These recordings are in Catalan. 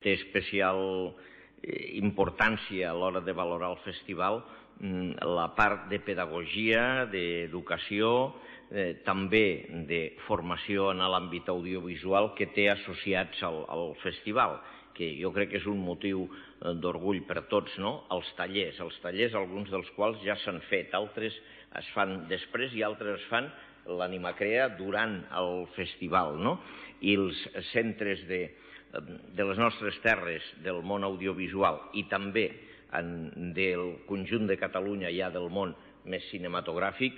té especial importància a l'hora de valorar el festival la part de pedagogia, d'educació, també de formació en l'àmbit audiovisual que té associats al festival, que jo crec que és un motiu d'orgull per tots, no? Els tallers, alguns dels quals ja s'han fet, altres es fan després i altres es fan l'Animacrea durant el festival, no? I els centres de les nostres terres del món audiovisual i també del conjunt de Catalunya ja del món més cinematogràfic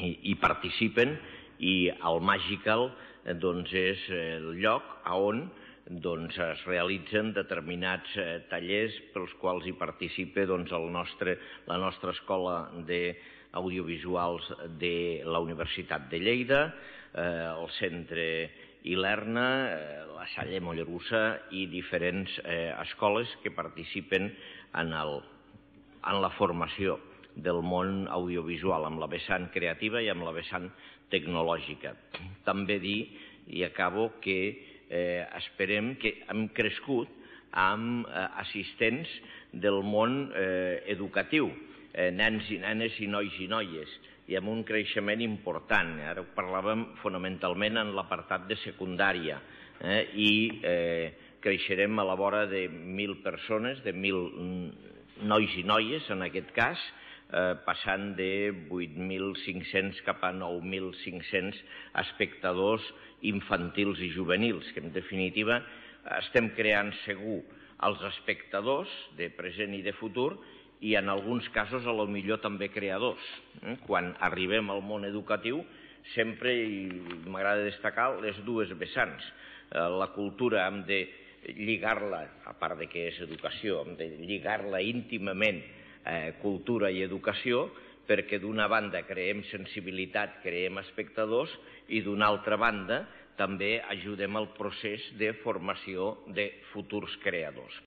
hi participen, i el Magical és el lloc on es realitzen determinats tallers pels quals hi participa la nostra escola d'audiovisuals de la Universitat de Lleida, el Centre Ilerna, la Salle Mollerussa i diferents escoles que participen en la formació del món audiovisual, amb la vessant creativa i amb la vessant tecnològica. També dir, i acabo, que esperem que hem crescut amb assistents del món educatiu, nens i nenes i nois i noies, i amb un creixement important. Ara ho parlàvem fonamentalment en l'apartat de secundària, i creixerem a la vora de 1.000 persones, de 1.000 nois i noies en aquest cas, passant de 8.500 cap a 9.500 espectadors infantils i juvenils, que en definitiva estem creant segur els espectadors de present i de futur, i en alguns casos a lo millor també creadors. Quan arribem al món educatiu sempre, i m'agrada destacar, les dues vessants. La cultura hem de lligar-la, a part de que és educació, hem de lligar-la íntimament cultura i educació, perquè d'una banda creem sensibilitat, creem espectadors, i d'una altra banda també ajudem al procés de formació de futurs creadors.